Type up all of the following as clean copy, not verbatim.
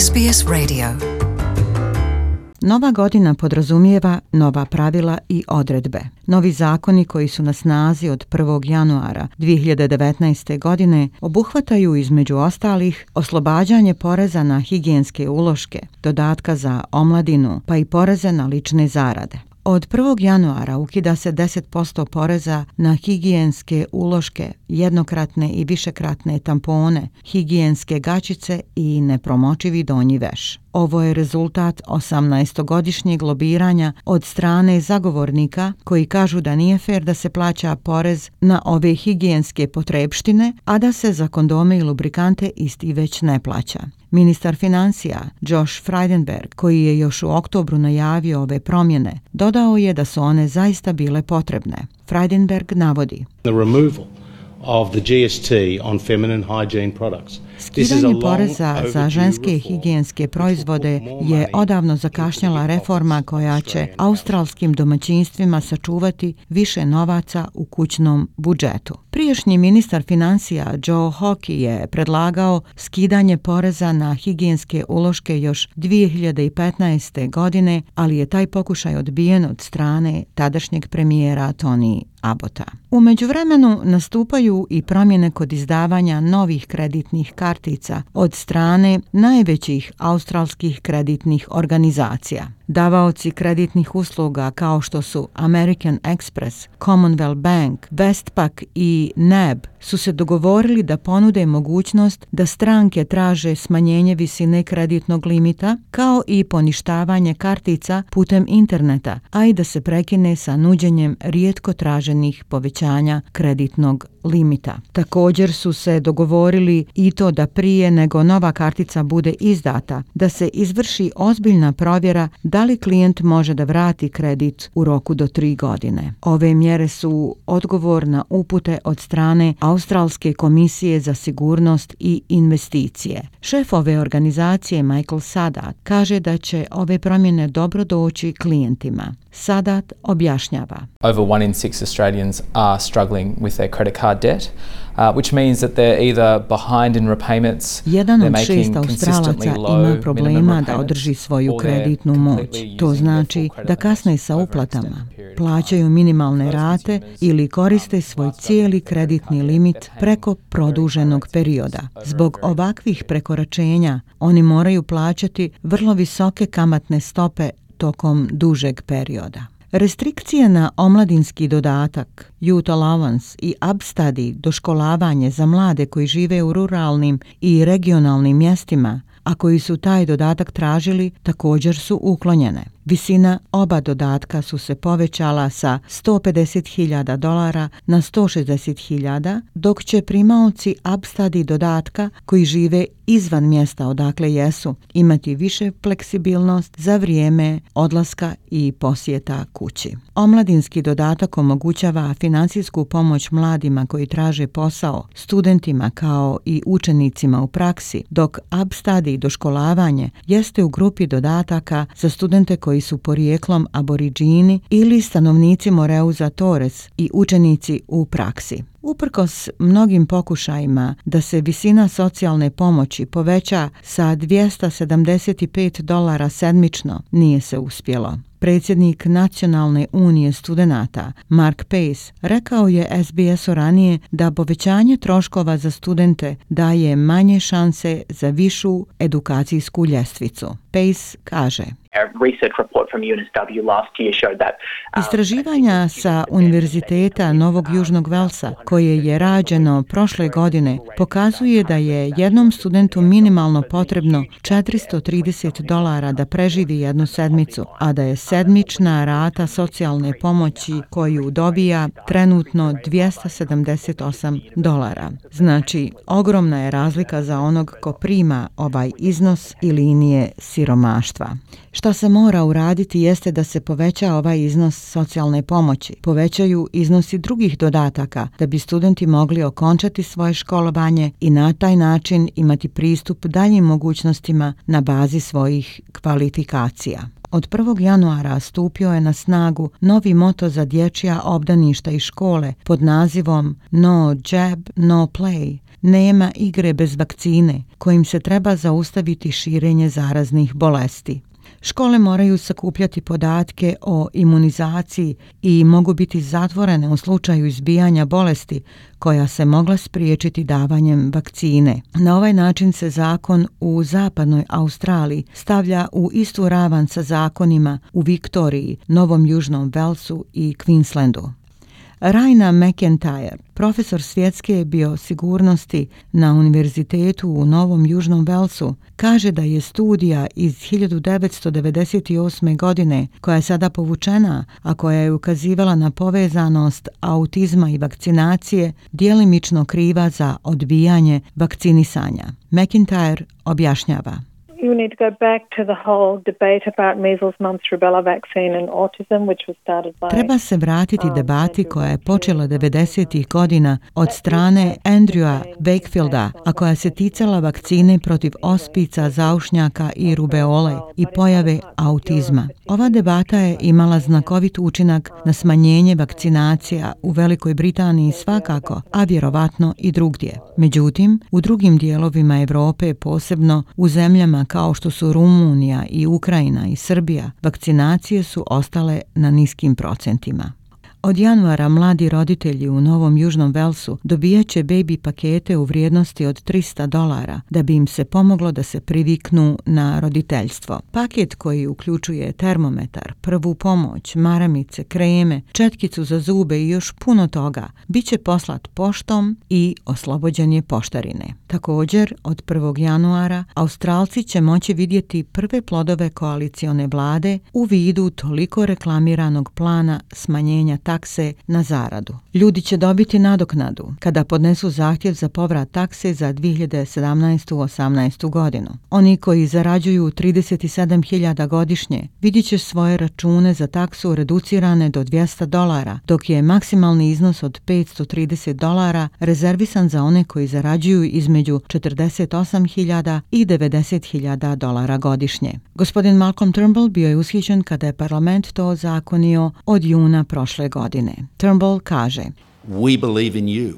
SBS Radio. Nova godina podrazumijeva nova pravila i odredbe. Novi zakoni koji su na snazi od 1. januara 2019. godine obuhvataju između ostalih oslobađanje poreza na higijenske uloške, dodatka za omladinu, pa i poreze na lične zarade. Od 1. januara ukida se 10% poreza na higijenske uloške, jednokratne i višekratne tampone, higijenske gaćice i nepromočivi donji veš. Ovo je rezultat 18-godišnjeg lobiranja od strane zagovornika koji kažu da nije fer da se plaća porez na ove higijenske potrepštine, a da se za kondome i lubrikante isti već ne plaća. Ministar financija Josh Frydenberg, koji je još u oktobru najavio ove promjene, dodao je da su one zaista bile potrebne. Frydenberg navodi: The removal of the GST on feminine hygiene products. Skidanje poreza za ženske higijenske proizvode je odavno zakašnjela reforma koja će australskim domaćinstvima sačuvati više novaca u kućnom budžetu. Prijašnji ministar financija Joe Hockey je predlagao skidanje poreza na higijenske uloške još 2015. godine, ali je taj pokušaj odbijen od strane tadašnjeg premijera Tony Abbotta. U međuvremenu nastupaju i promjene kod izdavanja novih kreditnih kartica od strane najvećih australskih kreditnih organizacija. Davaoci kreditnih usluga kao što su American Express, Commonwealth Bank, Westpac i NAB su se dogovorili da ponude mogućnost da stranke traže smanjenje visine kreditnog limita kao i poništavanje kartica putem interneta, a i da se prekine sa nuđenjem rijetko traženih povećanja kreditnog limita. Također su se dogovorili i to da prije nego nova kartica bude izdata, da se izvrši ozbiljna provjera da li klijent može da vrati kredit u roku do 3 godine. Ove mjere su odgovor na upute od strane Australske komisije za sigurnost i investicije. Šef ove organizacije Michael Sadat kaže da će ove promjene dobro doći klijentima. Sadat objašnjava: Over 1 in 6 Australians are struggling with their credit card debt, which means that they're either behind in repayments, Jedan od 6 Australaca ima problema da održi svoju kreditnu moć. To znači da kasne sa uplatama, plaćaju minimalne rate ili koriste svoj cijeli kreditni limit preko produženog perioda. Zbog ovakvih prekoračenja oni moraju plaćati vrlo visoke kamatne stope tokom dužeg perioda. Restrikcije na omladinski dodatak, youth allowance i upstudy, doškolavanje za mlade koji žive u ruralnim i regionalnim mjestima, a koji su taj dodatak tražili, također su uklonjene. Visina oba dodatka su se povećala sa $150,000 na $160,000, dok će primaoci upstudy dodatka koji žive izvan mjesta odakle jesu imati više fleksibilnost za vrijeme odlaska i posjeta kući. Omladinski dodatak omogućava financijsku pomoć mladima koji traže posao, studentima kao i učenicima u praksi, dok upstudy doškolavanje jeste u grupi dodataka za studente koji su porijeklom aboriđini ili stanovnici Moreuza Torres i učenici u praksi. Uprkos mnogim pokušajima da se visina socijalne pomoći poveća sa $275 sedmično, nije se uspjelo. Predsjednik Nacionalne unije studenata Mark Pace rekao je SBS-u ranije da povećanje troškova za studente daje manje šanse za višu edukacijsku ljestvicu. Pace kaže: Istraživanja sa Univerziteta Novog Južnog Velsa, koje je rađeno prošle godine, pokazuje da je jednom studentu minimalno potrebno $430 da preživi jednu sedmicu, a da je sedmična rata socijalne pomoći koju dobija trenutno $278. Znači, ogromna je razlika za onog ko prima ovaj iznos i linije siromaštva. Šta se mora uraditi jeste da se poveća ovaj iznos socijalne pomoći, povećaju iznosi drugih dodataka da bi studenti mogli okončati svoje školovanje i na taj način imati pristup daljim mogućnostima na bazi svojih kvalifikacija. Od 1. januara stupio je na snagu novi moto za dječja obdaništa i škole pod nazivom No Jab, No Play, nema igre bez vakcine, kojim se treba zaustaviti širenje zaraznih bolesti. Škole moraju sakupljati podatke o imunizaciji i mogu biti zatvorene u slučaju izbijanja bolesti koja se mogla spriječiti davanjem vakcine. Na ovaj način se zakon u zapadnoj Australiji stavlja u istu ravan sa zakonima u Viktoriji, Novom Južnom Velsu i Queenslandu. Raina McIntyre, profesor svjetske biosigurnosti na Univerzitetu u Novom Južnom Velsu, kaže da je studija iz 1998. godine, koja je sada povučena, a koja je ukazivala na povezanost autizma i vakcinacije, djelimično kriva za odbijanje vakcinisanja. McIntyre objašnjava. You need to go back to the whole debate about measles, mumps, rubella vaccine and autism, which was started by... Treba se vratiti debati koja je počela 90. godina od strane Andrewa Wakefielda, a koja se ticala vakcine protiv ospica, zaušnjaka i rubeole i pojave autizma. Ova debata je imala znakovit učinak na smanjenje vakcinacija u Velikoj Britaniji svakako, a vjerovatno i drugdje. Međutim, u drugim dijelovima Europe, posebno u zemljama kao što su Rumunija i Ukrajina i Srbija, vakcinacije su ostale na niskim procentima. Od januara mladi roditelji u Novom Južnom Velsu dobijat će baby pakete u vrijednosti od $300 da bi im se pomoglo da se priviknu na roditeljstvo. Paket koji uključuje termometar, prvu pomoć, maramice, kreme, četkicu za zube i još puno toga bit će poslat poštom i oslobođen je poštarine. Također, od 1. januara Australci će moći vidjeti prve plodove koalicione vlade u vidu toliko reklamiranog plana smanjenja takse na zaradu. Ljudi će dobiti nadoknadu kada podnesu zahtjev za povrat takse za 2017-18 godinu. Oni koji zarađuju 37.000 godišnje vidjet će svoje račune za taksu reducirane do $200, dok je maksimalni iznos od $530 rezervisan za one koji zarađuju između 48.000 i $90.000 godišnje. Gospodin Malcolm Turnbull bio je ushićen kada je parlament to ozakonio od juna prošle godine. Turnbull kaže: We believe in you.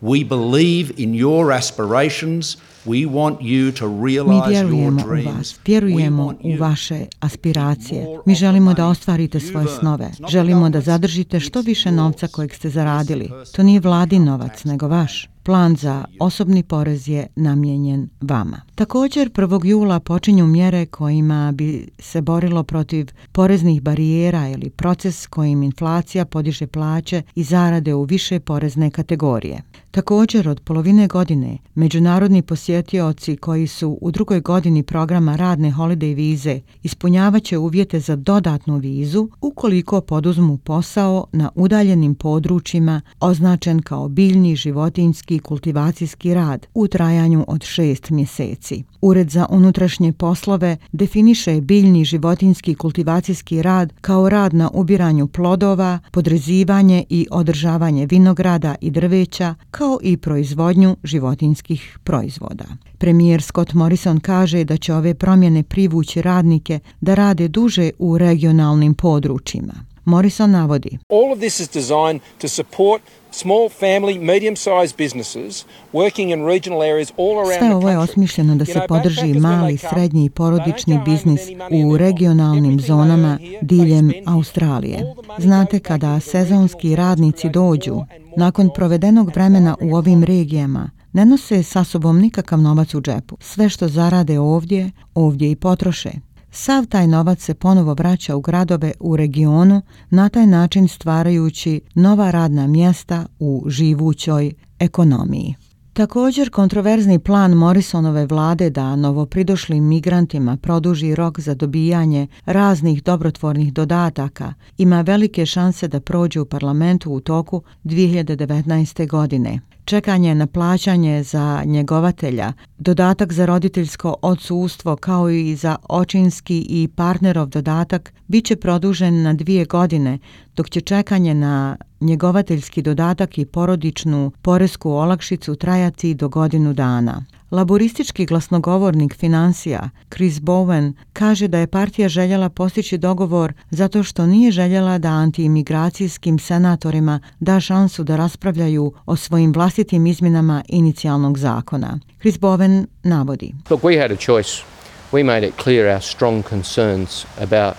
We believe in your aspirations. We want you to realize your dreams. Vjerujemo u vaše aspiracije. Mi želimo da ostvarite svoje snove. Želimo da zadržite što više novca kojeg ste zaradili. To nije vladin novac, nego vaš. Plan za osobni porez je namijenjen vama. Također, 1. jula počinju mjere kojima bi se borilo protiv poreznih barijera ili proces kojim inflacija podiže plaće i zarade u više porezne kategorije. Također, od polovine godine, međunarodni posjetioci koji su u drugoj godini programa radne holiday vize ispunjavaće uvjete za dodatnu vizu ukoliko poduzmu posao na udaljenim područjima označen kao biljni, životinjski i kultivacijski rad u trajanju od 6 mjeseci. Ured za unutrašnje poslove definiše biljni, životinjski i kultivacijski rad kao rad na ubiranju plodova, podrezivanje i održavanje vinograda i drveća, kao i proizvodnju životinjskih proizvoda. Premijer Scott Morrison kaže da će ove promjene privući radnike da rade duže u regionalnim područjima. Morrison navodi: All of this is designed to support small family, medium-sized businesses working in regional areas all around the country. Sve ovo je osmišljeno da se podrži mali, srednji i porodični biznis u regionalnim zonama diljem Australije. Znate, kada sezonski radnici dođu, nakon provedenog vremena u ovim regijama, ne nose sa sobom nikakav novac u džepu. Sve što zarade ovdje i potroše. Sav taj novac se ponovo vraća u gradove u regionu, na taj način stvarajući nova radna mjesta u živućoj ekonomiji. Također, kontroverzni plan Morrisonove vlade da novopridošlim migrantima produži rok za dobijanje raznih dobrotvornih dodataka ima velike šanse da prođe u parlamentu u toku 2019. godine. Čekanje na plaćanje za njegovatelja, dodatak za roditeljsko odsustvo kao i za očinski i partnerov dodatak bit će produžen na 2 godine, dok će čekanje na njegovateljski dodatak i porodičnu poresku olakšicu trajati do godinu dana. Laboristički glasnogovornik financija Chris Bowen kaže da je partija željela postići dogovor zato što nije željela da antiimigracijskim senatorima da šansu da raspravljaju o svojim vlastitim izmjenama inicijalnog zakona. Chris Bowen navodi. Look, we had a choice. We made it clear our strong concerns about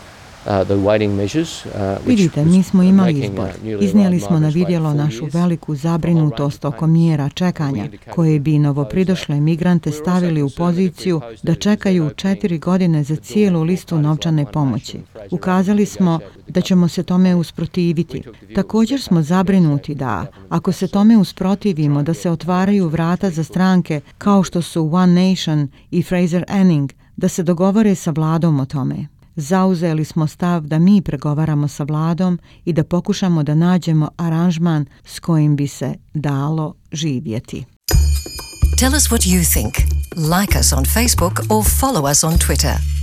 Vidite, mi smo imali izbor. Iznijeli smo na vidjelo našu veliku zabrinutost oko mjera čekanja, koje bi novopridošle migrante stavili u poziciju da čekaju 4 godine za cijelu listu novčane pomoći. Ukazali smo da ćemo se tome usprotiviti. Također smo zabrinuti da, ako se tome usprotivimo, da se otvaraju vrata za stranke kao što su One Nation i Fraser Anning, da se dogovore sa vladom o tome. Zauzeli smo stav da mi pregovaramo sa vladom i da pokušamo da nađemo aranžman s kojim bi se dalo živjeti. Tell us what you think. Like us on Facebook or follow us on Twitter.